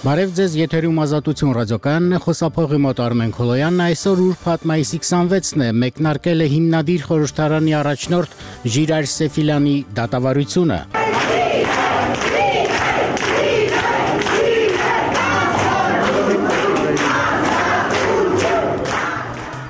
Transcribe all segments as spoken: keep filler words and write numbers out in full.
Բարև ձեզ, եթերում Ազատություն ռադիոկայանն է, խոսափողի մոտ Արմեն Քոլոյանն, այսօր ուրբաթ մայիսի քսանվեցն է, մեկնարկել է հիմնադիր խորհրդարանի առաջնորդ Ժիրայր Սեֆիլյանի դատավարությունը։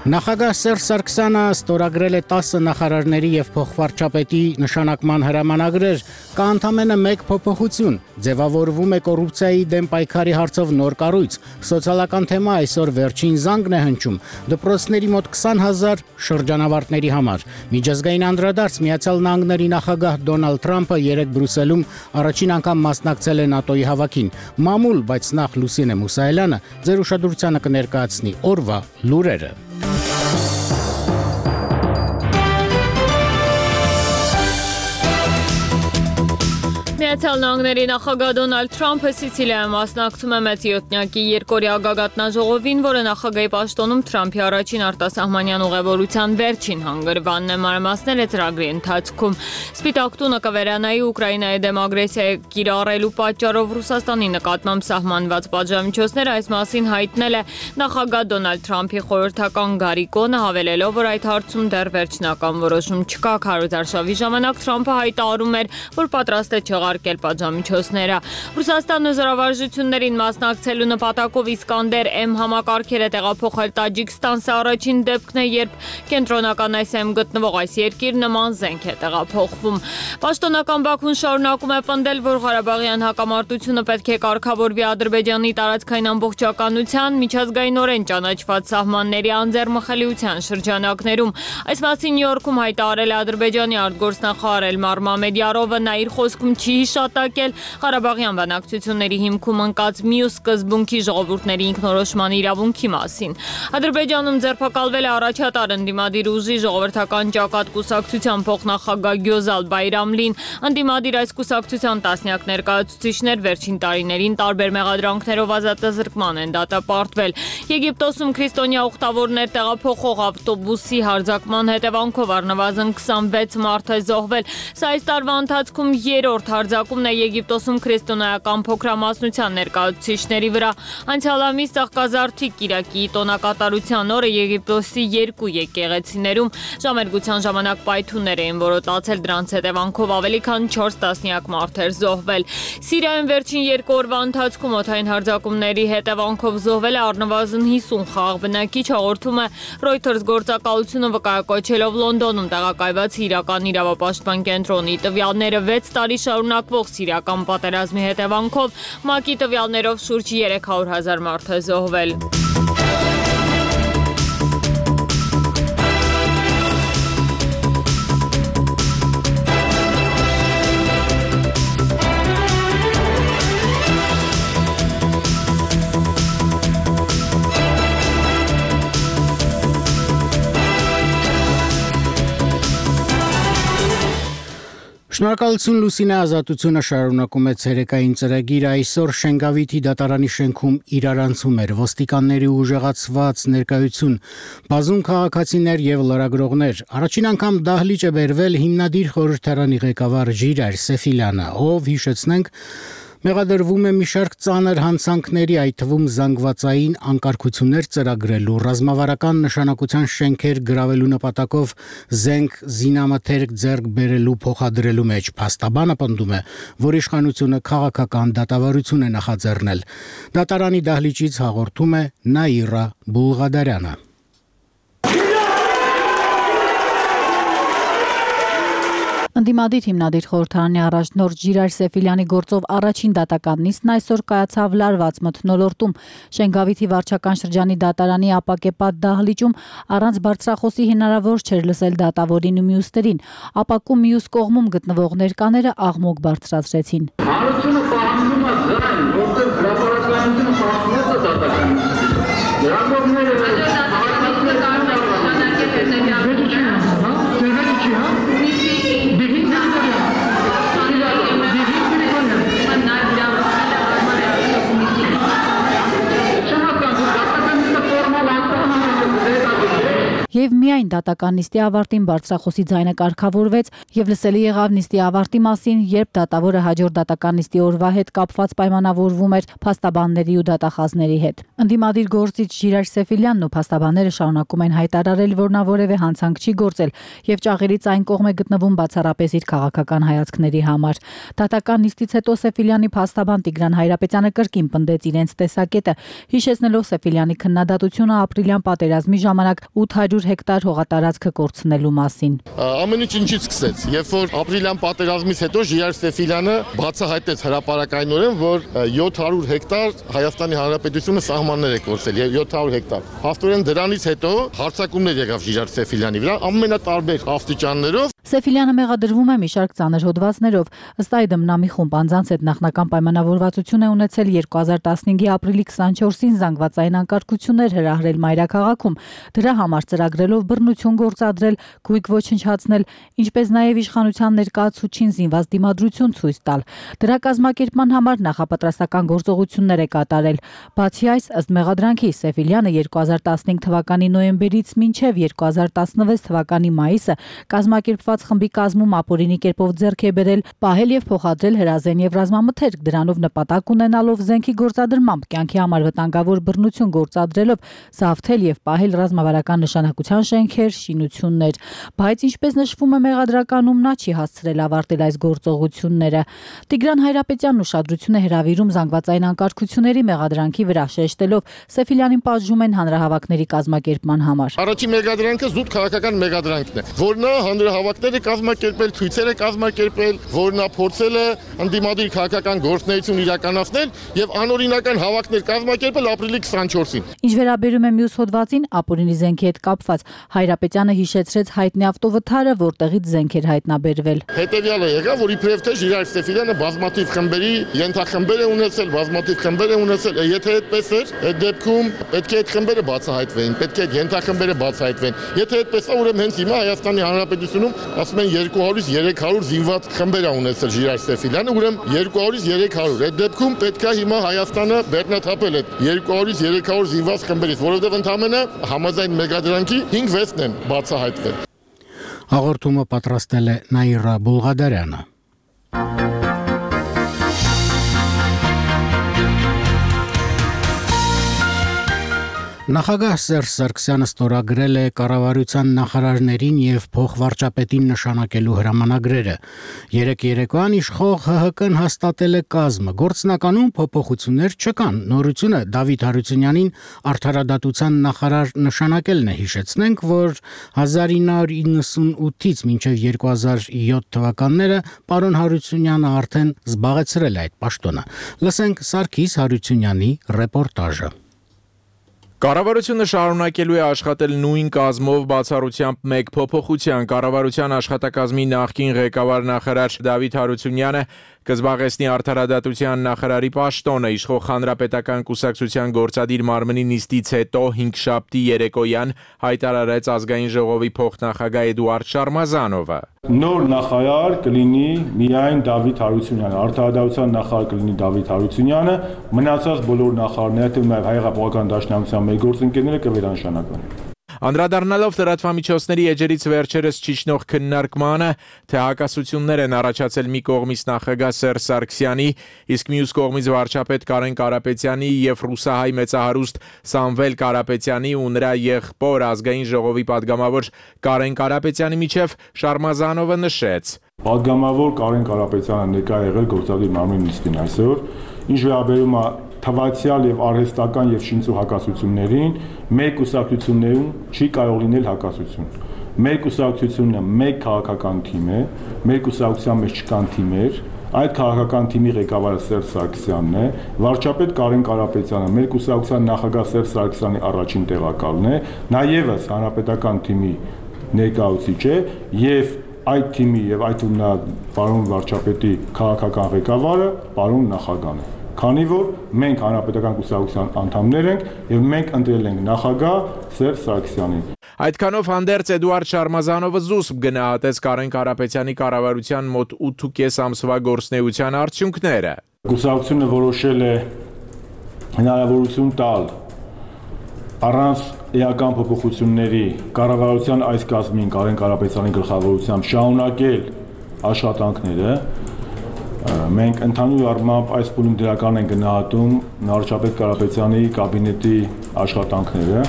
Նախագահ Սերժ Սարգսյանը ստորագրել է տասը նախարարների և փոխվարչապետի նշանակման հրամանագրեր, կա ընդամենը մեկ փոփոխություն, ձևավորվում է կոռուպցիայի դեմ պայքարի հարցով նոր կառույց, սոցիալական թեմա այսօր վերջին զանգն է հնչում, դպրոցների մոտ քսան հազար շրջանավարտների համար, միջազգային անդրադարձ Միացյալ Նահանգների նախագահ Դոնալդ Թրամփը երեկ Բրյուսելում առաջին անգամ մասնակցել է ՆԱՏՕ-ի հավաքին, մամուլ, բայց նախ Լուսինե Մուսայելյանը ձեր ուշադրությանը կներկայացնի օրվա լուրերը։ Միացյալ Նահանգների նախագահ Դոնալդ Թրամփը Սիցիլիայում մասնակցում է մեծ յոթնյակի երկօրյա գագաթնաժողովին, որը նախագահի պաշտոնում Թրամփի առաջին արտասահմանյան ուղևորության վերջին հանգրվանն է, մանրամասները ծրագրի ընթացքում։ Սպիտակ տունը կվերանայի Ուկրաինայի դեմ ագրեսիա կիրառելու պատճառով Ռուսաստանի նկատմամբ սահմանված պատժամիջոցները, այս մասին հայտնել է նախագահ Դոնալդ Թրամփի խորհրդական Գարիկոնը, հավելելով, որ այդ հարցում դեռ վերջնական որոշում չկա։ Քարոզարշավի ժամանակ Թրամփը հայտարարում էր, որ պատրաստ է չեղարկել պատժամիջոցները։ Ռուսաստանը զորավարժություններին մասնակցելու նպատակով Իսկանդեր M համակարգերը տեղափոխել Տաջիկստան, սա առաջին դեպքն է, երբ կենտրոնական Ասիայում գտնվող այս երկիր նման զենք է տեղափոխվում։ Պաշտոնական Բաքուն շարունակում է պնդել, որ Ղարաբաղյան հակամարտությունը պետք է կարգավորվի Ադրբեջանի տարածքային ամբողջականության, միջազգայինորեն ճանաչված սահմանների անձեռմխելիության շրջանակներում։ Այս մասին Նյու Յորքում հայտարարել է Ադրբեջանի արտգործնախարար Էլմար Մամեդյարովը, նա իր խոսքում չի հիշատակել Ղարաբաղյան բանակցությունների հիմքում ընկած մյուս սկզբունքի ժողովուրդների ինքնորոշման իրավունքի մասին։ Ադրբեջանում ձերբակալվել է առաջատար ընդդիմադիր ուժի ժողովրդական ճակատ կուսակցության փոխնախագահ Գյոզալ Բայրամլին։ Ընդդիմադիր այս կուսակցության տասնյակ ներկայացուցիչներ վերջին տարիներին տարբեր մեղադրանքներով ազատազրկման են դատապարտվել։ Եգիպտոսում քրիստոնյա ուխտավորներ տեղափոխող ավտոբուսի հարձակման հետևանքով առնվազն քսանվեց մարդ է զոհվել։ Սա այս տարվա ընթացքում երրորդ հարձակումն է Եգիպտոսում քրիստոնեական փոքրամասնության ներկայացուցիչների վրա։ Անցյալ ամիս Ծաղկազարդի Կիրակի տոնակատարության օրը Եգիպտոսի երկու եկեղեցիներում ժամերգության ժամանակ պայթյուններ էին որոտացել, դրանց հետևանքով ավելի քան չորս տասնյակ մարդ էր զոհվել։ Սիրիայում վերջին երկու օրվա ընթացքում օդային հարձակումների հետևանքով զոհվել է առնվազն հիսուն խաղ բնակիչ, հաղորդում է Reuters գործակալությունը վկայակոչելով Լոնդոնում տեղակայված իրական իրավապաշտպան կենտրոնի տվյալները։ վեց տարի շարունակվող սիրիական պատերազմի հետևանքով ՄԱԿ-ի տվյալներով շուրջ երեք հարյուր հազար մարդ է զոհվել։ Շնորհակալություն Լուսինե, Ազատությունը շարունակում է ցերեկային ծրագիր, այսօր Շենգավիթի դատարանի շենքում իրարանցում էր ոստիկանների ուժեղացված ներկայություն, բազում քաղաքացիներ եւ լրագրողներ։ Առաջին անգամ դահլիճ է բերվել հիմնադիր խորհրդարանի ղեկավար Ժիրայր Սեֆիլյանը, ով հիշեցնենք մեղադրվում է մի շարք ծանր հանցանքների, այդ թվում զանգվածային անկարգություններ ծրագրելու, ռազմավարական նշանակության շենքեր գրավելու նպատակով զենք զինամթերք ձեռք բերելու փոխադրելու մեջ։ Փաստաբանը պնդում է, որ իշխանությունը քաղաքական դատավարություն է նախաձեռնել։ Դատարանի դահլիճից հաղորդում է Նաիրա Բուլղադարյանը։ Ընդդիմադիր հիմնադիր խորհրդարանի առաջնորդ Ժիրայր Սեֆիլյանի գործով առաջին դատական նիստն այսօր կայացավ լարված մթնոլորտում։ Շենգավիթի վարչական շրջանի դատարանի ապակեպատ դահլիճում առանց բարձրախոսի հնարավոր չէր լսել դատավորին ու մյուսներին։ Ապակու մյուս կողմում գտնվող ներկաները աղմուկ բարձրացրեցին։ Հանրությունը պահանջում է դրան, որտեղ հրապարակայնությունը պահանջում է դատականին։ Լրագրողները Եվ միայն միայն դատական նիստի ավարտին բարձրախոսի ձայնը կարգավորվեց եւ լսելի եղավ նիստի ավարտի մասին, երբ դատավորը հաջորդ դատական նիստի օրվա հետ կապված պայմանավորվում էր փաստաբանների ու դատախազների հետ։ Ընդդիմադիր գործիչ Ժիրայր Սեֆիլյանն ու փաստաբանները շարունակում են հայտարարել, որ նա որևէ հանցանք չի գործել եւ ճաղերից այն կողմ է գտնվում բացառապես իր քաղաքական հայացքների համար։ Դատական նիստից հետո Սեֆիլյանի փաստաբան Տիգրան Հայրապետյանը կրկին պնդեց իրենց տեսակետը, հիշեցնելով Սեֆիլյանի քննադատությունը ապրիլյան պատերազմի ժամանակ ութ հարյուր հեկտար հողատարածքը կորցնելու մասին։ Ամեն ինչ ինչից սկսեց, երբ որ ապրիլյան պատերազմից հետո Ժիրայր Սեֆիլյանը բացահայտեց հրապարակայնորեն, որ յոթ հարյուր հեկտար Հայաստանի Հանրապետությունը սահմաններ է կորցրել, յոթ հարյուր հեկտար։ Հաստորեն դրանից հետո հարձակումներ եղավ Ժիրայր Սեֆիլյանի վրա ամենատարբեր աստիճաններով։ Սեֆիլյանը մեղադրվում է մի շարք ծանր հոդվածներով։ Ըստ այդմ նա մի խումբ անձանց հետ նախնական պայմանավորվածություն է ունեցել երկու հազար տասնհինգի ապրիլի քսանչորսին զանգվածային անկարգություններ հրահրել մայրաքաղաքում, դրա համար ծրագրելով բռնություն գործադրել, գույք ոչնչացնել, ինչպես նաև իշխանության ներկայացուցչին զինված դիմադրություն ցույց տալ։ Դրա կազմակերպման համար նախապատրաստական գործողություններ է կատարել։ Բացի այս, ըստ մեղադրանքի, Սեֆիլյանը երկու հազար տասնհինգ թվականի նոյեմբերից մինչև երկու հազար տասնվեց թվականի մայիսը կազմակերպված խմբի կազմում ապօրինի կերպով ձեռք է բերել, պահել եւ փոխադրել հրազեն եւ ռազմամթերք, դրանով նպատակ ունենալով զենքի գործադրմամբ կյանքի համար վտանգավոր բռնություն գործադրելով զավթել եւ պահել ռազմավարական նշանակության շենքեր, շինություններ, բայց ինչպես նշվում է մեղադրականում, նա չի հասցրել ավարտել այս գործողությունները։ Տիգրան Հայրապետյանն ուշադրություն է հրավիրում զանգվածային անկարգությունների մեղադրանքի վրա, շեշտելով Սեֆիլյանին պատժում են հանրահավաքների կազմակերպման համար։ Առաջին մեղադրանքը զուտ քաղաքական մեղադրանքն է, որ նա հանրահավաքներ կազմակերպել, ցույցեր է կազմակերպել, որ նա փորձել է ընդդիմադիր քաղաքական գործունեություն իրականացնել եւ անօրինական հավաքներ կազմակերպել ապրիլի քսանչորսին։ Ինչ վերաբերում է մյուս հոդվածին, ապօրինի զենքի հետ կապված, Հայրապետյանը հիշեցրեց հայտնի ավտովթարը, որտեղից զենք էր հայտնաբերվել։ Հետևյալը եղավ, որ իբրև թե Ժիրայր Սեֆիլյանը բազմաթիվ խմբերի ենթախմբեր է ունեցել, բազմաթիվ խմբեր է ունեցել, եթե այդպես էր, այդ դեպքում պետք է այդ խմբերը բացահայտվեին, պետք է այդ ենթախմբերը բացահայտվեն։ Եթե այդպես է, ուրեմն հենց հիմա Հայաստանի Հանրապետությունում ասում են երկու հարյուր երեք հարյուր զինված խմբեր է ունեցել Ժիրայր Սեֆիլյանը, ուրեմն երկու հարյուր երեք հարյուր։ Այդ դեպքում պետք է հիմա Հայաստանը բեռնաթափել այդ երկու հարյուր երեք հարյուր զինված խմբերից, որովհետև ընդամենը համաձայն մեղադրանքի հինգ վեցն են բացահայտվել։ Հաղորդումը պատրաստել է Նաիրա Բուլղադարյանը։ Նախագահ Սերժ Սարգսյանը ստորագրել է կառավարության նախարարներին եւ փոխվարչապետին նշանակելու հրամանագրերը։ Երեք երեկոյան իշխող ՀՀԿ-ն հաստատել է կազմը։ Գործնականում փոփոխություններ չկան։ Նորությունը Դավիթ Հարությունյանին արդարադատության նախարար նշանակելն է։ Հիշեցնենք, որ հազար ինը հարյուր իննսունութից մինչև երկու հազար յոթ թվականները պարոն Հարությունյանը արդեն զբաղեցրել է այդ պաշտոնը։ Լսենք Սարգիս Հարությունյանի ռեպորտաժը։ Կառավարությունը շարունակելու է աշխատել նույն կազմով բացառությամբ մեկ փոփոխության։ Կառավարության աշխատակազմի նախկին ղեկավար նախարար Դավիթ Հարությունյանը կզբաղեցնի արդարադատության նախարարի պաշտոնը։ Իշխող Հանրապետական կուսակցության գործադիր մարմնի նիստից հետո հինգշաբթի երեկոյան հայտարարեց ազգային ժողովի փոխնախագահ Էդուարդ Շարմազանովը։ Նոր նախարար կլինի միայն Դավիթ Հարությունյանը, արդարադատության նախարար կլինի Դավիթ Հարությունյանը, մնացած բոլոր նախարարները, թվում է Հայ-Հեղափոխական Դաշնակցության մեր գործընկերները կվերանշանական։ Անդրադառնալով լրատվամիջոցների էջերից վերջերս ճիչնող քննարկմանը, թե հակասություններ են առաջացել մի կողմից նախագահ Սերժ Սարգսյանի, իսկ մյուս կողմից վարչապետ Կարեն Կարապետյանի եւ ռուսահայ մեծահարուստ Սամվել Կարապետյանի ու նրա եղբոր ազգային ժողովի падգամավոր Կարեն Կարապետյանի միջև, Շարմազանովը նշեց. Падգամավոր Կարեն Կարապետյանը ներկա եղել գործադիր մարմնի նիստին այսօր, ինչ վերաբերում է թվացial եւ արհեստական եւ շինծու հակասություններին, մեր կուսակցություններում չի կարող լինել հակասություն։ Մեր կուսակցությունը մեկ քաղաքական թիմ է, մեր կուսակցության մեջ չկան թիմեր, այդ քաղաքական թիմի ղեկավարը Սերժ Սարգսյանն է, վարչապետ Կարեն Կարապետյանը մեր կուսակցության նախագահ Սերժ Սարգսյանի առաջին տեղակալն է, նաեւս հանրապետական թիմի ներկայացուցիչ է եւ այդ թիմի եւ այդ ունա պարոն վարչապետի քաղաքական ղեկավարը պարոն նախագահն է։ Քանի որ մենք հանրապետական կուսակցության անդամներ ենք եւ մենք ընտրել ենք նախագահ Սերժ Սարգսյանին։ Այդքանով հանդերձ Էդուարդ Շարմազանովը զուսպ գնահատեց Կարեն Կարապետյանի կառավարության մոտ ութ ու կես ամսվա գործունեության արդյունքները։ Կուսակցությունը որոշել է հնարավորություն տալ առանց էական փոփոխությունների կառավարության այս կազմին Կարեն Կարապետյանի գլխավորությամբ շարունակել աշխատանքները, մենք ընդհանուր առմամբ այս փուլում դրական են գնահատում վարչապետ Կարապետյանի կաբինետի աշխատանքները։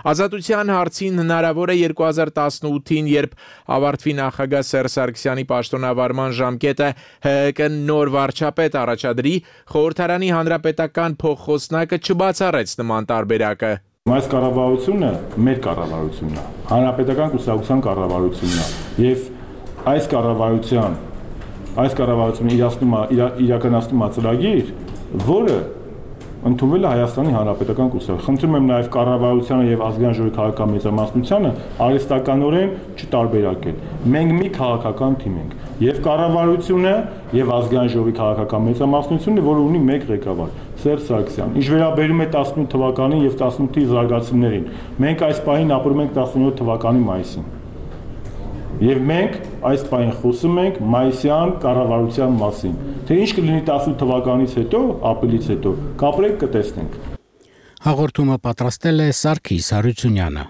Ազատության հարցին հնարավոր է երկու հազար տասնութին, երբ ավարտվի նախագահ Սերժ Սարգսյանի պաշտոնավարման ժամկետը, Հ Հ Կ նոր վարչապետ առաջադրի, խորհրդարանի հանրապետական փոխխոսնակը չբացառեց նման տարբերակը։ Այս կառավարությունը մեր կառավարությունն է, հանրապետական կուսակցության կառավարությունն է, եւ այս կառավարության այս կառավարությունը իրացնում է իրականացնում է ծրագիր, որը ընդունվել է Հայաստանի Հանրապետական կուսակցությունը։ Խնդրում եմ նաև կառավարությանը եւ ազգային ժողովի քաղաքական մեծամասնությանը արհեստականորեն չտարբերակել։ Մենք մի քաղաքական թիմ ենք, եւ կառավարությունը եւ ազգային ժողովի քաղաքական մեծամասնությունը, որը ունի մեկ ղեկավար՝ Սերժ Սարգսյան։ Ինչ վերաբերում է տասնութ թվականին եւ տասնութի զարգացումներին, մենք այս պահին ապրում ենք տասնյոթ թվականի մայիսին։ Եվ մենք այս պահին խոսում ենք մայիսյան կառավարության մասին։ Թե ինչ կլինի տասնութ թվականից հետո, ապրիլից հետո, կապրենք կտեսնենք։ Հաղորդումը պատրաստել է Սարգիս Հարությունյանը։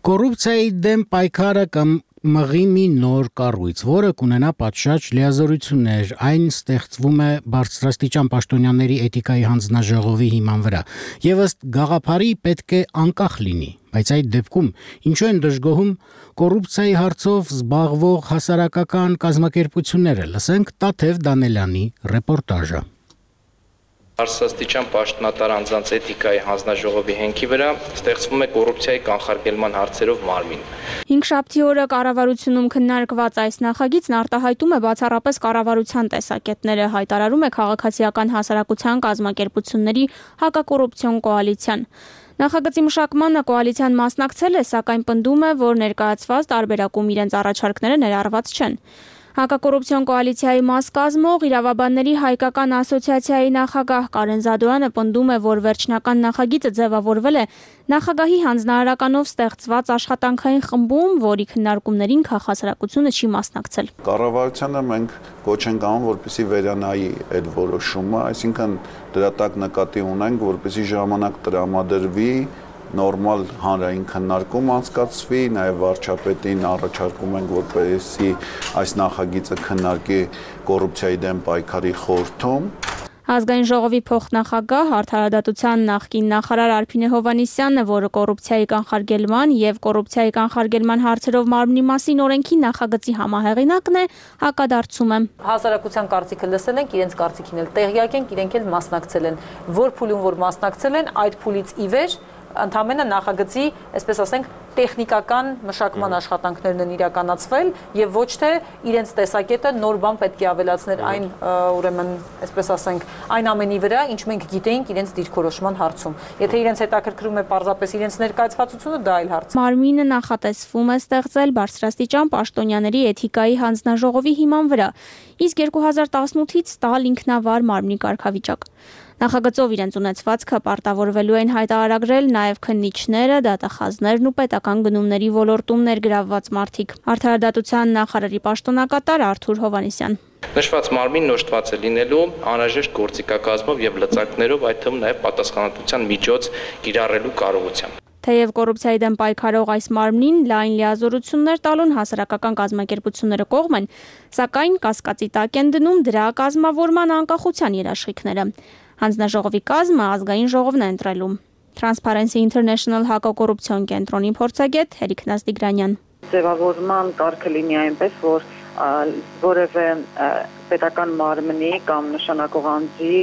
Կոռուպցիայի դեմ պայքարը կամ մղի մի նոր կառույց, որը կունենա պատշաճ լիազորություններ, այն ստեղծվում է բարձրաստիճան պաշտոնյաների էթիկայի հանձնաժողովի հիման վրա, եւ ըստ գաղափարի պետք է անկախ լինի, բայց այդ դեպքում ինչու են դժգոհում կոռուպցիայի հարցով զբաղվող հասարակական կազմակերպությունները։ Լսենք Տաթև Դանելյանի ռեպորտաժը։ Բարձրաստիճան պաշտոնատար անձանց էթիկայի հանձնաժողովի հենքի վրա ստեղծվում է կոռուպցիայի կանխարգելման հարցերով մարմին։ Հինգշաբթի օրը կառավարությունում քննարկված այս նախագիծն արտահայտում է բացառապես կառավարության տեսակետները, հայտարարում է քաղաքացիական հասարակության կազմակերպությունների հակակոռուպցիոն կոալիցիան։ Նախագծի մշակմանը կոալիցիան մասնակցել է, սակայն պնդում է, որ ներկայացված տարբերակում իրենց առաջարկները ներառված չեն։ Հակակոռուպցիոն կոալիցիայի մաս կազմող Իրավաբանների հայկական ասոցիացիայի նախագահ Կարեն Զադոյանը պնդում է, որ վերջնական նախագիծը ձևավորվել է նախագահի հանձնարարականով ստեղծված աշխատանքային խմբում, որի քննարկումներին քաղաքասարակությունը չի մասնակցել։ Կառավարությանը մենք կոչ ենք անում, որպեսզի վերանայի այդ որոշումը, այսինքն դրա տակ նկատի ունենք, որպեսզի ժամանակ տրամադրվի նորմալ հանրային քննարկում անցկացվի, նաև վարչապետին առաջարկում ենք, որպեսզի այս նախագիծը քննարկի կոռուպցիայի դեմ պայքարի խորհրդում։ Ազգային ժողովի փոխնախագահ Արդարադատության նախկին նախարար Արփինե Հովհաննիսյանը, որը կոռուպցիայի կանխարգելման եւ կոռուպցիայի կանխարգելման հարցերով մարմնի մասին օրենքի նախագծի համահեղինակն է, հակադարձում է։ Հասարակության կարծիքը լսել ենք, իրենց կարծիքին էլ տեղյակ ենք, իրենք էլ մասնակցել են։ Որ փուլում որ մասնակցել են, այդ փուլից ի վեր ընդամենը նախագծի, այսպես ասենք, տեխնիկական մշակման աշխատանքներն են իրականացվել եւ ոչ թե իրենց տեսակետը նոր բան պետք է ավելացնել այն, ուրեմն, այսպես ասենք, այն ամենի վրա, ինչ մենք գիտեինք իրենց դիրքորոշման հարցում։ Եթե իրենց հետաքրքրում է պարզապես իրենց ներկայացվածությունը, դա այլ հարց։ Մարմինը նախատեսվում է ստեղծել բարձրաստիճան պաշտոնյաների էթիկայի հանձնաժողովի հիման վրա, իսկ երկու հազար տասնութից տալ ինքնավար մարմնի կարգավիճակ։ Նախագծով իրենց ունեցվածքը պարտավորվելու են հայտարարագրել նաև քննիչները, դատախազներն ու պետական գնումների ոլորտում ներգրավված մարդիկ։ Արդարադատության նախարարի պաշտոնակատար Արթուր Հովհաննիսյան։ Նշված մարմինն օժտված է լինելու անհրաժեշտ գործիքակազմով եւ լծակներով, այդ թվում նաև պատասխանատվության միջոց կիրառելու կարողությամբ։ Թեև կոռուպցիայի դեմ պայքարող այս մարմնին լայն լիազորություններ տալուն հասարակական կազմակերպությունները կողմ են, սակայն կասկածի տակ են դնում դրա կազմավորման անկախության երաշխիքները։ Հանձնաժողովի կազմը ազգային ժողովն է ընտրելու։ Transparency International հակակոռուպցիոն կենտրոնի փորձագետ Հերիկ Նազդիգրանյան։ Ձևավորման կարգը լինի այնպես, որ որևէ պետական մարմնի կամ նշանակող անձի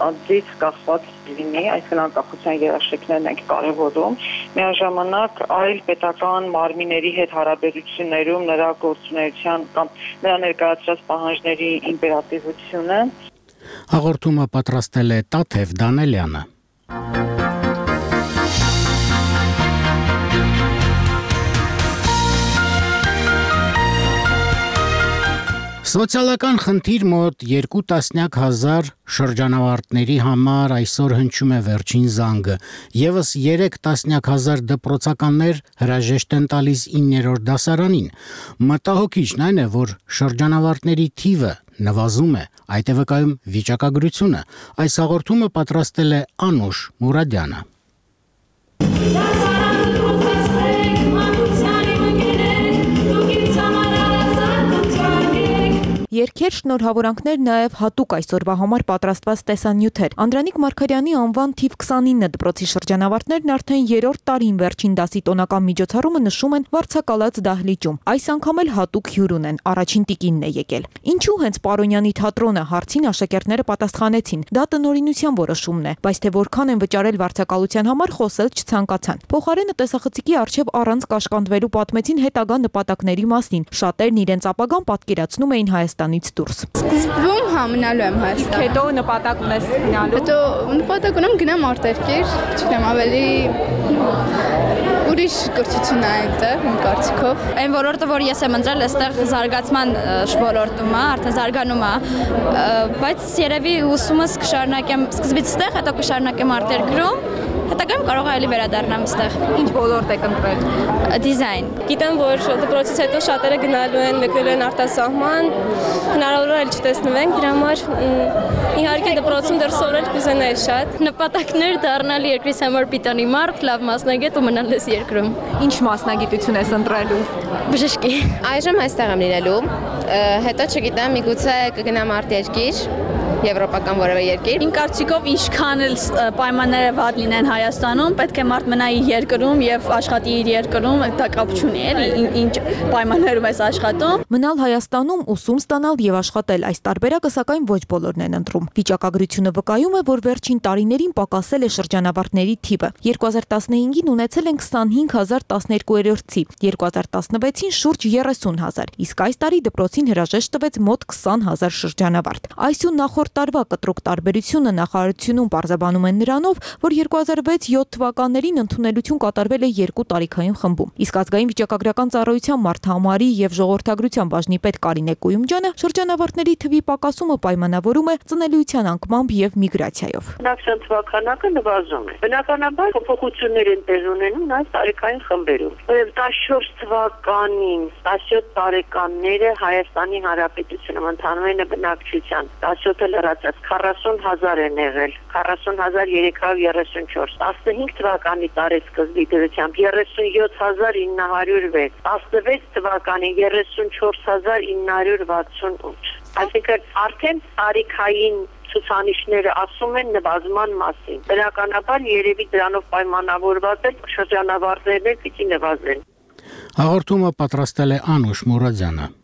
անձից կախված լինի, այսինքն անկախության երաշխիքներն ենք կարևորում։ Միաժամանակ այլ պետական մարմինների հետ հարաբերություններում նրա գործունեության կամ նրա ներկայացրած պահանջների իմպերատիվությունը։ Հաղորդումը պատրաստել է Տաթև Դանելյանը։ Սոցիալական խնդիր մոտ երկու տասնյակ հազար շրջանավարտների համար այսօր հնչում է վերջին զանգը։ Եվս երեք տասնյակ հազար դպրոցականներ հրաժեշտ են տալիս իններորդ դասարանին։ Մտահոգիչն այն է, որ շրջանավարտների թիվը նվազում է, այդ է վկայում վիճակագրությունը։ Այս հաղորդումը պատրաստել է Անուշ Մուրադյանը։ Երգեր, շնորհավորանքներ, նաև հատուկ այսօրվա համար պատրաստված տեսանյութեր։ Անդրանիկ Մարգարյանի անվան թիվ քսանինը դպրոցի շրջանավարտներն արդեն երրորդ տարին վերջին դասի տոնական միջոցառումը նշում են Վարձակալած դահլիճում։ Այս անգամ էլ հատուկ հյուր ունեն, առաջին տիկինն է եկել։ Ինչու հենց Պարոնյանի թատրոնը, հարցին աշակերտները պատասխանեցին։ Դա տնօրինության որոշումն է, բայց թե որքան են վճարել վարձակալության համար խոսել չցանկացան։ Փոխարենը տեսախցիկի առջև առանց կաշկանդվելու պատմեցին հետագա նպատակների մասին։ Շատերն իրենց ապագան պատկերացնում էին Հայաստանից դուրս։ Սկզբում համնալու եմ Հայաստան։ Հետո նպատակ ունես գնալու։ Հետո նպատակ ունեմ գնամ արտերկիր, չգիտեմ, ավելի ուրիշ կրթություն է այդտեղ, իմ կարծիքով։ Այն ոլորտը, որ ես եմ ընտրել, այստեղ զարգացման ոլորտում է, արդեն զարգանում է, բայց երևի ուսումս կշարունակեմ սկզբից այստեղ, հետո կշարունակեմ արտերկրում, հետագայում կարող է էլի վերադառնամ այստեղ։ Ինչ ոլորտ եք ընտրել։ Դիզայն։ Գիտեմ, որ դպրոցից հետո շատերը գնալու են, մեկնելու են արտասահման, հնարավոր է չտեսնվենք, դրա համար իհարկե դպրոցում դեռ սովորել կուզենայի շատ։ Նպատակներ դառնալ երկրիս համար պիտանի մարդ, լավ մասնագետ ու մնալ ես երկրում։ Ինչ մասնագիտություն ես ընտրելու։ Բժշկի։ Այժմ այստեղ եմ լինելու, հետո չգիտեմ, միգուցե կգնամ արտերկիր, եվրոպական որևէ երկիր։ Իմ կարծիքով ինչքան էլ պայմանները վատ լինեն Հայաստանում, պետք է մարդ մնա իր երկրում եւ աշխատի իր երկրում, դա կապ չունի, էլի, ինչ պայմաններում ես աշխատում։ Մնալ Հայաստանում, ուսում ստանալ եւ աշխատել, այս տարբերակը սակայն ոչ բոլորն են ընտրում։ Վիճակագրությունը վկայում է, որ վերջին տարիներին պակասել է շրջանավարտների թիվը։ երկու հազար տասնհինգին ունեցել են քսանհինգ հազար տասներկուերորդի, երկու հազար տասնվեցին շուրջ երեսուն հազար, իսկ այս տարի դպրոցին հրաժեշտ տվեց մոտ քսան հազար շրջանավարտ։ Այս ու նախորդ տարվա կտրուկ տարբերությունը նախարարությունում պարզաբանում են նրանով, որ երկու հազար վեց յոթ թվականներին ընդունելություն կատարվել է երկու տարիքային խմբում։ Իսկ ազգային վիճակագրական ծառայության մարդահամարի եւ ժողովրդագրության բաժնի պետ Կարինե Կույումջյանը շրջանավարտների թվի պակասումը պայմանավորում է ծնելիության անկմամբ եւ միգրացիայով։ Բնակչության թվականակը նվազում է։ Բնականաբար փոփոխություններ են տեղ ունենում նաեւ տարիքային խմբերում։ տասնչորս թվականին տասնյոթ տարեկանները Հայաստանի Հանրապետությունում ընդհանրապես բնակչության տասնյոթը լրացած քառասուն հազար են եղել, քառասուն հազար երեք հարյուր երեսունչորս, տասնհինգ թվականի տարեսկզբի դրությամբ երեսունյոթ հազար ինը հարյուր վեց, տասնվեց թվականին երեսունչորս հազար ինը հարյուր վաթսունութ։ Այսինքն արդեն տարիքային ցուցանիշները ասում են նվազման մասին։ Բնականաբար երևի դրանով պայմանավորված է շրջանավարտներն էլ պիտի նվազեն։ Հաղորդումը պատրաստել է Անուշ Մուրադյանը։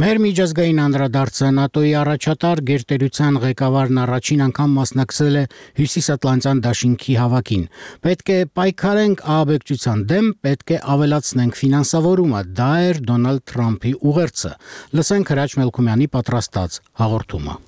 Մեր միջազգային անդրադարձը ՆԱՏՕ-ի առաջատար գերտերության ղեկավարն առաջին անգամ մասնակցել է Հյուսիսատլանտյան դաշինքի հավաքին։ Պետք է պայքարենք ահաբեկչության դեմ, պետք է ավելացնենք ֆինանսավորումը, դա էր Դոնալդ Թրամփի ուղերձը։ Լսենք Հրաչ Մելքումյանի պատրաստած հաղորդումը։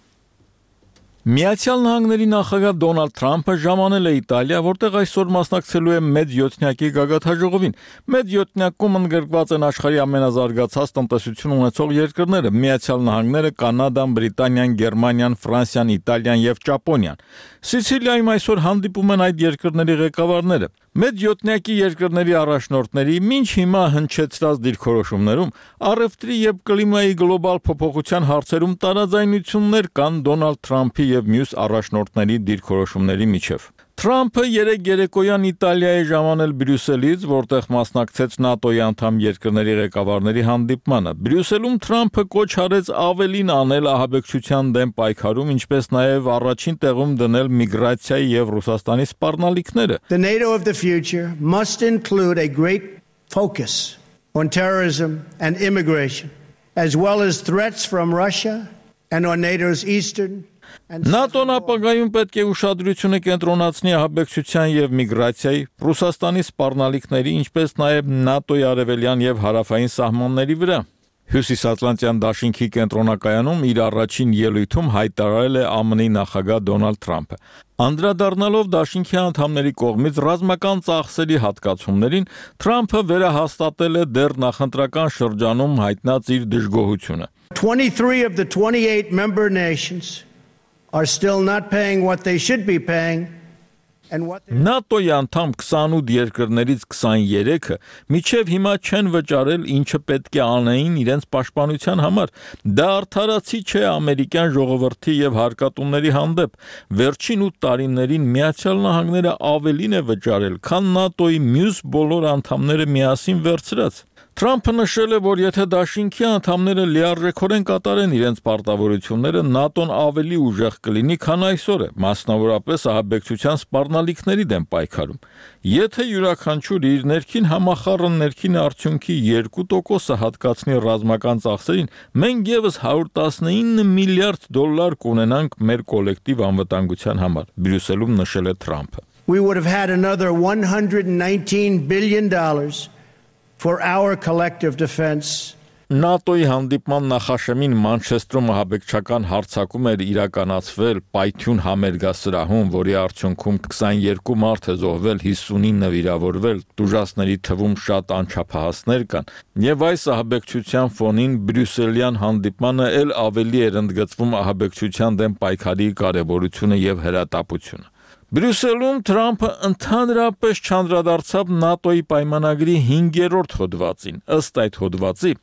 Միացյալ Նահանգների նախագահ Դոնալդ Թրամփը ժամանել է Իտալիա, որտեղ այսօր մասնակցելու է մեծ յոթնյակի գագաթաժողովին։ Մեծ յոթնյակում ընդգրկված են աշխարհի ամենազարգացած տնտեսություն ունեցող երկրները՝ Միացյալ Նահանգները, Կանադան, Բրիտանիան, Գերմանիան, Ֆրանսիան, Իտալիան եւ Ճապոնիան։ Սիցիլիայում այսօր հանդիպում են այդ երկրների ղեկավարները։ Մեծ յոթնյակի երկրների առաջնորդների մինչ հիմա հնչեցրած դիրքորոշումներում առևտրի եւ կլիմայի գլոբալ փոփոխության հարցերում տարաձայնություններ կան Դոնալդ Թրամփի եւ մյուս առաջնորդների դիրքորոշումների միջև։ Թրամփը երեկ երեկոյան Իտալիա է ժամանել Բրյուսելից, որտեղ մասնակցեց ՆԱՏՕ-ի անդամ երկրների ղեկավարների հանդիպմանը։ Բրյուսելում Թրամփը կոչ արեց ավելին անել ահաբեկչության դեմ պայքարում, ինչպես նաև առաջին տեղում դնել միգրացիայի եւ Ռուսաստանի սպառնալիքները։ The NATO of the future must include a great focus on terrorism and immigration, as well as threats from Russia and on NATO's eastern ՆԱՏՕ-ն ապագայում պետք է ուշադրությունը կենտրոնացնի ահաբեկչության եւ միգրացիայի, Ռուսաստանի սպառնալիքների, ինչպես նաեւ ՆԱՏՕ-ի արևելյան եւ հարավային սահմանների վրա։ Հյուսիսատլանտյան դաշինքի կենտրոնակայանում իր առաջին ելույթում հայտարարել է ԱՄՆ-ի նախագահ Դոնալդ Թրամփը։ Անդրադառնալով դաշինքի անդամների կողմից ռազմական ծախսերի հատկացումներին, Թրամփը վերահաստատել է դեռ նախընտրական շրջանում հայտնած իր դժգոհությունը։ twenty-three of the twenty-eight member nations are still not paying what they should be paying, ՆԱՏՕ-ի անդամ քսանութ երկրներից քսաներեքը միջև հիմա չեն վճարել ինչը պետք է անեին իրենց պաշտպանության համար։ Դա արդարացի չէ ամերիկյան ժողովրդի եւ հարկատուների հանդեպ։ Վերջին ութ տարիներին Միացյալ Նահանգները ավելին է վճարել, քան ՆԱՏՕ-ի մյուս բոլոր անդամները միասին վերցրած։ Թրամփը նշել է, որ եթե դաշինքի անդամները լիարժեքորեն կատարեն իրենց պարտավորությունները, ՆԱՏՕ-ն ավելի ուժեղ կլինի, քան այսօր է, մասնավորապես ահաբեկչության սպառնալիքների դեմ պայքարում։ Եթե յուրաքանչյուր իր ներքին համախառն ներքին արդյունքի երկու տոկոսը հատկացնի ռազմական ծախսերին, մենք եւս հարյուր տասնինը միլիարդ դոլար կունենանք մեր կոլեկտիվ անվտանգության համար, Բրյուսելում նշել է Թրամփը։ We would have had another one hundred nineteen billion dollars for our collective defense. ՆԱՏՕ-ի հանդիպման նախաշեմին Մանչեստրում ահաբեկչական հարձակում էր իրականացվել Պայթյուն համերգասրահում, որի արդյունքում քսաներկու մարդ է զոհվել, հիսունինը վիրավորվել, տուժածների թվում շատ անչափահասներ կան, եւ այս ահաբեկչության ֆոնին բրյուսելյան հանդիպմանը ել ավելի էր ընդգծվում ահաբեկչության դեմ պայքարի կարեւորությունը եւ հրատապությունը։ Բրյուսելում Թրամփը ընդհանրապես չանդրադարձավ ՆԱՏՕ-ի պայմանագրի հինգերորդ հոդվածին։ Ըստ այդ հոդվածի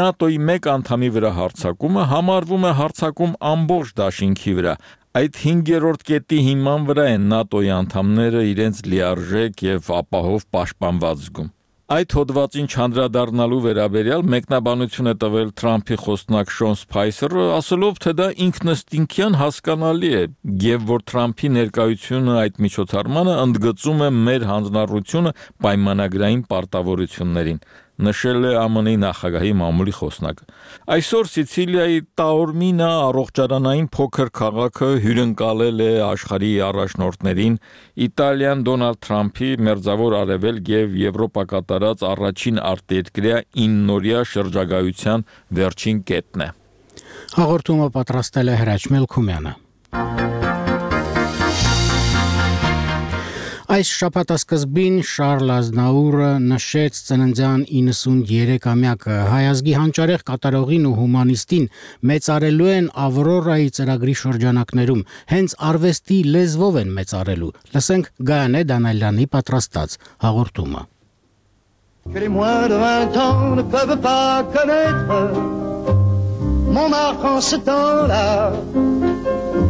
ՆԱՏՕ-ի մեկ անդամի վրա հարձակումը համարվում է հարձակում ամբողջ դաշինքի վրա։ Այդ հինգերորդ կետի հիման վրա են ՆԱՏՕ-ի անդամները իրենց լիարժեք եւ ապահով պաշտպանված զգում։ Այդ հոդվածին չանդրադառնալու վերաբերյալ մեկնաբանություն է տվել Թրամփի խոսնակ Շոն Սփայսերը, ասելով, թե դա ինքնըստինքյան հասկանալի է, եւ որ Թրամփի ներկայությունը այդ միջոցառմանը ընդգծում է մեր հանձնառությունը պայմանագրային պարտավորություններին, նշել է ԱՄՆ-ի նախագահի մամուլի խոսնակը։ Այսօր Սիցիլիայի Տաորմինա առողջարանային փոքր քաղաքը հյուրընկալել է աշխարհի առաջնորդներին, Իտալիան Դոնալդ Թրամփի մերձավոր արևելք եւ Եվրոպա կատարած առաջին արտերկրյա իննօրյա շրջագայության վերջին կետն է։ Հաղորդումը պատրաստել է Հրաչ Մելքումյանը։ Այս շաբաթասկզբին Շարլ Ազնաուրը նշեց ծննդյան իննսունյերեքամյակը հայ ազգի հանճարեղ կատարողին ու հումանիստին մեծարելու են Ավրորայի ծրագրի շրջանակներում, հենց արվեստի լեզվով են մեծարելու։ Լսենք Գայանե Դանալյանի պատրաստած հաղորդումը։ Que les moins de vingt ans ne peuvent pas connaître mon marque en ce temps-là.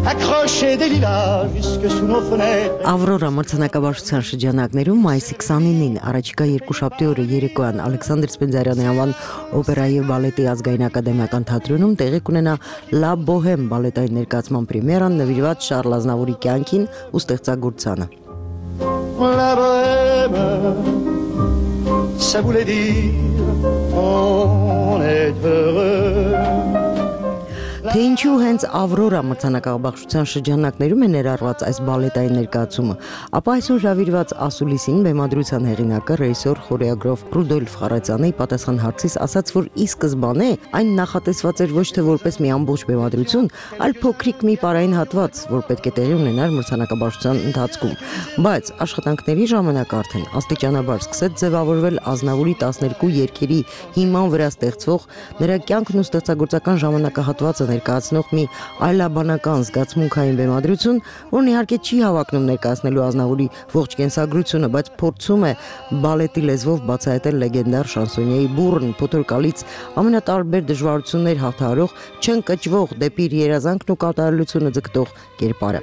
Accroché des lilas jusque sous nos fenêtres. Ավրորա մրցանակաբաշխության շրջանակներում մայիսի քսանինին առաջիկա երկուշաբթի օրը երեկոյան Ալեքսանդր Սպենդիարյանի անվան օպերայի եւ բալետի ազգային ակադեմիական թատրոնում տեղի կունենա Լա Բոհեմ բալետային ներկայացման պրեմիերան նվիրված Շարլ Ազնավուրի կյանքին ու ստեղծագործությանը։ La bohème, ça voulait dire on est heureux. Թե ինչու հենց Ավրորա մրցանակաբաշխության շրջանակներում է ներառված այս բալետային ներկայացումը, ապա այսօր հրավիրված ասուլիսին բեմադրության հեղինակը ռեժիսոր խորեոգրաֆ Ռուդոլֆ Խարացյանը պատասխան հարցից ասաց, որ ի սկզբանե այն նախատեսված էր ոչ թե որպես մի ամբողջ բեմադրություն, այլ փոքրիկ մի պարային հատված, որ պետք է տեղի ունենար մրցանակաբաշխության ընթացքում, բայց աշխատանքների ժամանակ արդեն աստիճանաբար սկսեց ձևավորվել Ազնավուրի տասներկու երգերի հիման վրա ստեղծվող նրա կյանքն ու ստեղծագործական ժամանակահատվածը ներկայացնող մի այլաբանական զգացմունքային բեմադրություն, որն իհարկե չի հավակնում ներկայացնելու Ազնավուրի ողջ կենսագրությունը, բայց փորձում է բալետի լեզվով բացահայտել լեգենդար շանսոնիեի բուռն, փոթորկալից ամենատարբեր դժվարություններ հաղթահարող, չընկճվող դեպի իր երազանքն ու կատարելությունը ձգտող կերպարը։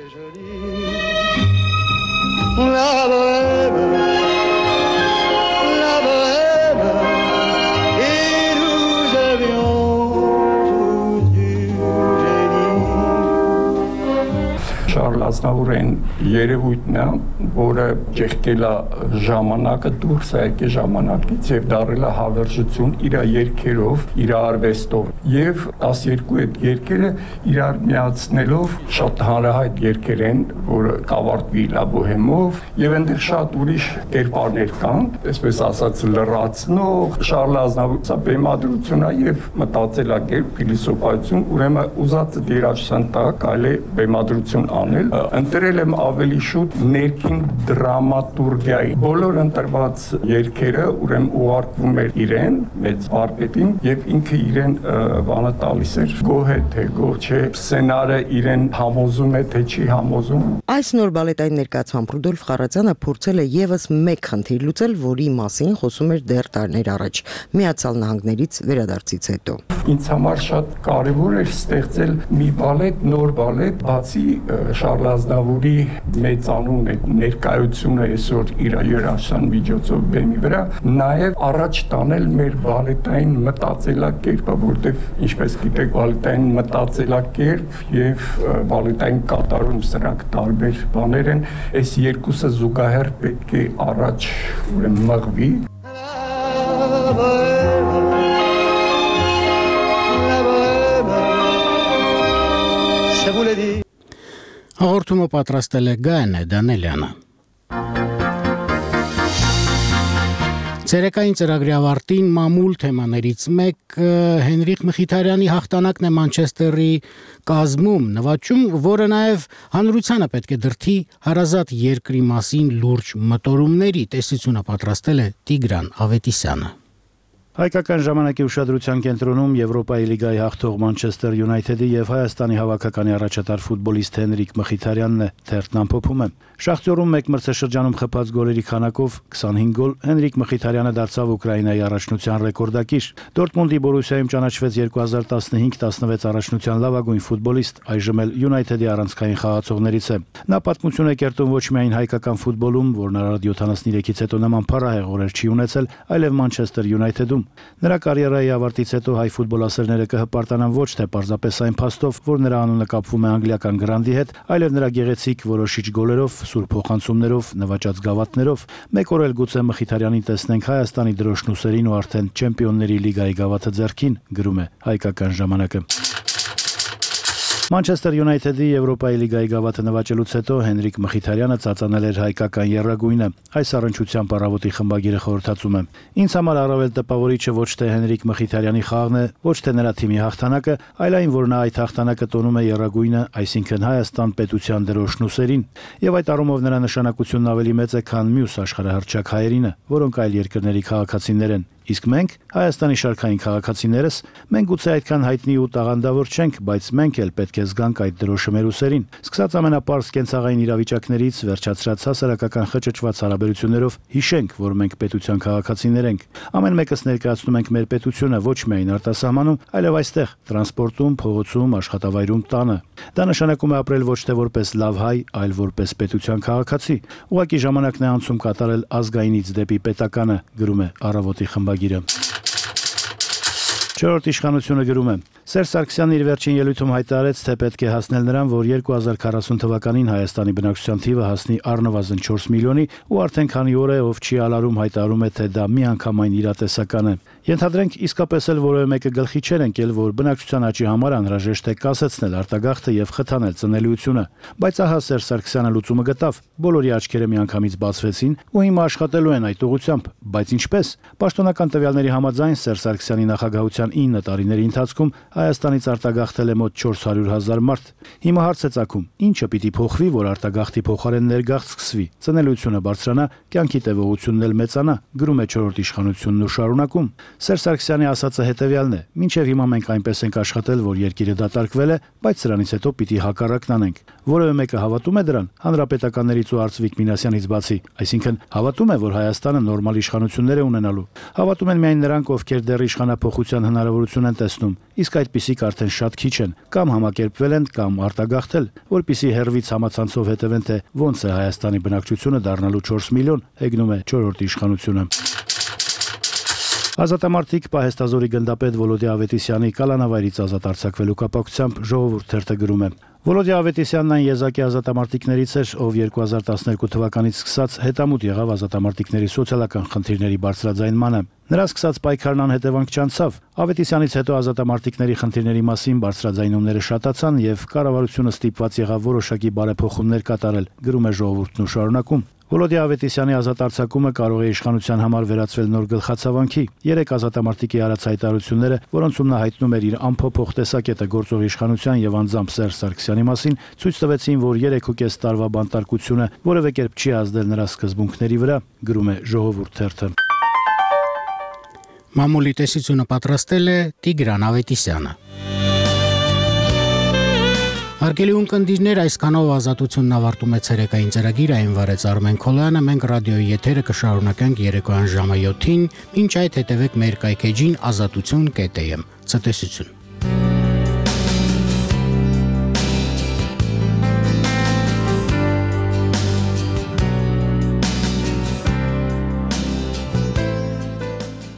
Շարլ Ազնավուրին երևույթն է, որը ջեղկել է ժամանակը, դուրս է եկել ժամանակից եւ դարել է հավերժություն իր երգերով, իր արվեստով եւ տասներկու այդ երգերը իրար միացնելով շատ հանրահայտ երգեր են, որը կավարտվի Լա Բոհեմով եւ այնտեղ շատ ուրիշ կերպարներ կան, այսպես ասած լրացնող Շարլ Ազնավուրը սա բեմադրություն է եւ մտածելակերպ, փիլիսոփայություն, ուրեմն ուզածը դերաշրջան տակ այլ է բեմադրություն անել ընտրել եմ ավելի շուտ ներքին դրամատուրգիայի։ Բոլոր ընտրված երգերը ուրեմն ուղարկվում էր իրեն, մեծ վարպետին, եւ ինքը իրեն բանը տալիս էր գոհ է թե գոհ չէ, սցենարը իրեն համոզում է թե չի համոզում։ Այս նոր բալետային ներկայացմամբ Ռուդոլֆ Խառատյանը փորձել է եւս մեկ խնդիր լուծել, որի մասին խոսում էր դեռ տարիներ առաջ՝ Միացյալ Նահանգներից վերադարձից հետո։ Ինձ համար շատ կարևոր էր ստեղծել մի բալետ, նոր բալետ, բացի Շարլ Ազնավուրի մեծանուն ներկայությունը այսօր իր երաժշտության միջոցով բեմի վրա, նաև առաջ տանել մեր բալետային մտածելակերպը, որտեղ ինչպես գիտեք, բալետային մտածելակերպ եւ բալետային կատարում սրանք տարբեր բաներ են, այս երկուսը զուգահեռ պետք է առաջ մղվի։ Հաղորդումը պատրաստել է Գայանե Դանելյանը։ Ցերեկային ծրագրի ավարտին մամուլ թեմաներից մեկ Հենրիկ Մխիթարյանի հաղթանակն է Մանչեսթերի կազմում, նվաճում, որը նաև հանրությանը պետք է դրթի հարազատ երկրի մասին լուրջ մտորումների։ Տեսությունը պատրաստել է Տիգրան Ավետիսյանը։ Հայկական ժամանակի ուշադրության կենտրոնում Եվրոպայի լիգայի հաղթող Մանչեսթեր Յունայթեդի եւ Հայաստանի հավաքականի առաջատար ֆուտբոլիստ Հենրիկ Մխիթարյանն է, թերթն ամփոփում է։ Շախտյորում մեկ մրցաշրջանում խփած գոլերի քանակով քսանհինգ գոլ Հենրիկ Մխիթարյանը դարձավ Ուկրաինայի առաջնության ռեկորդակիր։ Դորտմունդի Բորուսիայում ճանաչվեց երկու հազար տասնհինգ տասնվեց առաջնության լավագույն ֆուտբոլիստ, այժմ էլ Յունայթեդի առանցքային խաղացողներից է։ Նա պատմություն է կերտում ոչ միայն հայկական ֆուտբոլում, որն առ յոթանասուններեքից հետո նման փառահեղ օրեր չի ունեցել, այլև Մանչեսթեր Յունայթեդում։ Նրա կարիերայի ավարտից հետո հայ ֆուտբոլասերները կհպարտանան ոչ թե պարզապես այն փաստով, որ նրա անունը կապվում է անգլիական գրանդի հետ, այլև նրա գեղեցիկ որոշիչ գոլերով, սուրբ փոխանցումներով, նվաճած գավաթներով։ Մեկ օր էլ գուցե Մխիթարյանին տեսնենք Հայաստանի դրոշնուսերին ու արդեն Չեմպիոնների լիգայի գավաթը ձեռքին, գրում է Հայկական ժամանակը։ Մանչեսթեր Յունայթեդի Եվրոպայի լիգայի գավաթը նվաճելուց հետո Հենրիկ Մխիթարյանը ծածանել էր հայկական եռագույնը։ Այս առնչությամբ առավոտի խմբագիրը խորհրդածում է։ Ինձ համար առավել տպավորիչը ոչ թե Հենրիկ Մխիթարյանի խաղն է, ոչ թե նրա թիմի հաղթանակը, այլ այն, որ նա այդ հաղթանակը տոնում է եռագույնը, այսինքն Հայաստան պետության դրոշնուսերին, եւ այդ առումով նրա նշանակությունն ավելի մեծ է, քան մյուս աշխարհահռչակ հայերինը, որոնք այլ երկրների քաղաքացիներ են։ Իսկ մենք, Հայաստանի շարքային քաղաքացիներս, մենք գուցե այդքան հայտնի ու տաղանդավոր չենք, բայց մենք էլ պետք է զգանք այդ դրոշը մեր ուսերին։ Սկսած ամենապարզ կենցաղային իրավիճակներից, վերջացրած հասարակական խճճված հարաբերություններով, հիշենք, որ մենք պետության քաղաքացիներ ենք։ Ամեն մեկս ներկայացնում ենք մեր պետությունը ոչ միայն արտասահմանում, այլև այստեղ, տրանսպորտում, փողոցում, աշխատավայրում, տանը։ Դա նշանակում է ապրել ոչ թե որպես լավ հայ, այլ որպես պետության քաղաքացի։ Ուղղակի ժամանակն է անցում կատարել ազգայինից դեպի պետականը, գրում է Առավոտի խմբագիրը։ Չորրորդ իշխանությունը գրում է. Սերժ Սարգսյանն իր վերջին ելույթում հայտարարեց, թե պետք է հասնել նրան, որ երկու հազար քառասուն թվականին Հայաստանի բնակչության թիվը հասնի առնվազն չորս միլիոնի, ու արդեն քանի օր է ով չի ալարում հայտարարում է, թե դա միանգամայն իրատեսական է։ Ենթադրենք իսկապես էլ որևէ մեկը գլխի չէր ընկել, որ բնակչության աճի համար անհրաժեշտ է կասեցնել արտագաղթը եւ խթանել ծնելիությունը, բայց ահա Սերժ Սարգսյանը լուծումը գտավ։ Բոլորի աչքերը միանգամից բացվեցին ու հիմա աշխատելու են այդ ուղղությամբ, բայց ինչպես։ Պաշտոնական տվյալների համաձայն Սերժ Սարգսյանի նախագահության ինը տարիների ընթացքում Հայաստանից արտագաղթել է մոտ չորս հարյուր հազար մարդ։ Հիմա հարց է ծագում. ինչը պիտի փոխվի, որ արտագաղթի փոխարեն ներգաղթ սկսվի, ծնելիությունը բարձրանա, կյանքի տևողությունն էլ մեծանա, գրում է չորրորդ իշխանությունն ու շարունակում։ Սերժ Սարգսյանի ասածը հետևյալն է. մինչև հիմա մենք այնպես ենք աշխատել, որ երկիրը դատարկվել է, բայց սրանից հետո պիտի հակառակն անենք։ Որևէ մեկը հավատում է դրան, հանրապետականներից ու Արծվիկ Մինասյանից բացի, այսինքն հավատում է, որ Հայաստանը նորմալ իշխանություններ է ունենալու։ Հավատում են միայն նրանք, ովքեր դեռ իշխանափոխության հնարավորություն են տեսնում, իսկ այդպիսիք արդեն շատ քիչ են, կամ համակերպվել են, կամ արտագաղթել, որպիսի հերվից համացանցով հետևեն, թե ոնց է Հայաստանի բնակչությունը դառնալու չորս միլիոն, հեգնում է չորրորդ իշխանությունը։ Ազատամարտիկ Պահեստազորի գնդապետ Վոլոդի Ավետիսյանի կալանավայրից ազատ արձակվելու կապակցությամբ Ժողովուրդ թերթը գրում է. Վոլոդի Ավետիսյանն այն եզակի ազատամարտիկներից էր, ով երկու հազար տասներկու թվականից սկսած հետամուտ եղավ ազատամարտիկների սոցիալական խնդիրների բարձրաձայնմանը։ Նրա սկսած պայքարն անհետևանք չանցավ։ Ավետիսյանից հետո ազատամարտիկների խնդիրների մասին բարձրաձայնումները շատացան եւ կառավարությունը ստիպված եղավ որոշակի բարեփոխումներ կատարել, գրում է Ժողովուրդն ու շարունակում։ Վոլոդիա Ավետիսյանի ազատ արձակումը կարող է իշխանության համար վերածվել նոր գլխացավանքի։ Երեք ազատամարտիկի արած հայտարարությունները, որոնցում նա հայտնում էր իր ամփոփող տեսակետը գործող իշխանության եւ անձամբ Սերժ Սարգսյանի մասին, ցույց տվեցին, որ երեք ու կես տարվա բանտարկությունը որևէ կերպ չի ազդել նրա սկզբունքների վրա, գրում է Ժողովուրդ թերթը։ Մամուլի տեսությունը պատրաստել է Տիգրան Ավետիսյանը։ Հարգելի ունկնդիրներ, այսքանով ազատությունն ավարտում է ցերեկային ծրագիրը, այն վարեց Արմեն Քոլյանը, մենք ռադիոյի եթերը կշարունակենք երեկոյան ժամը յոթին, մինչ այդ հետևեք մեր կայքեջին ազատություն կետ եմ։ Ցտեսություն։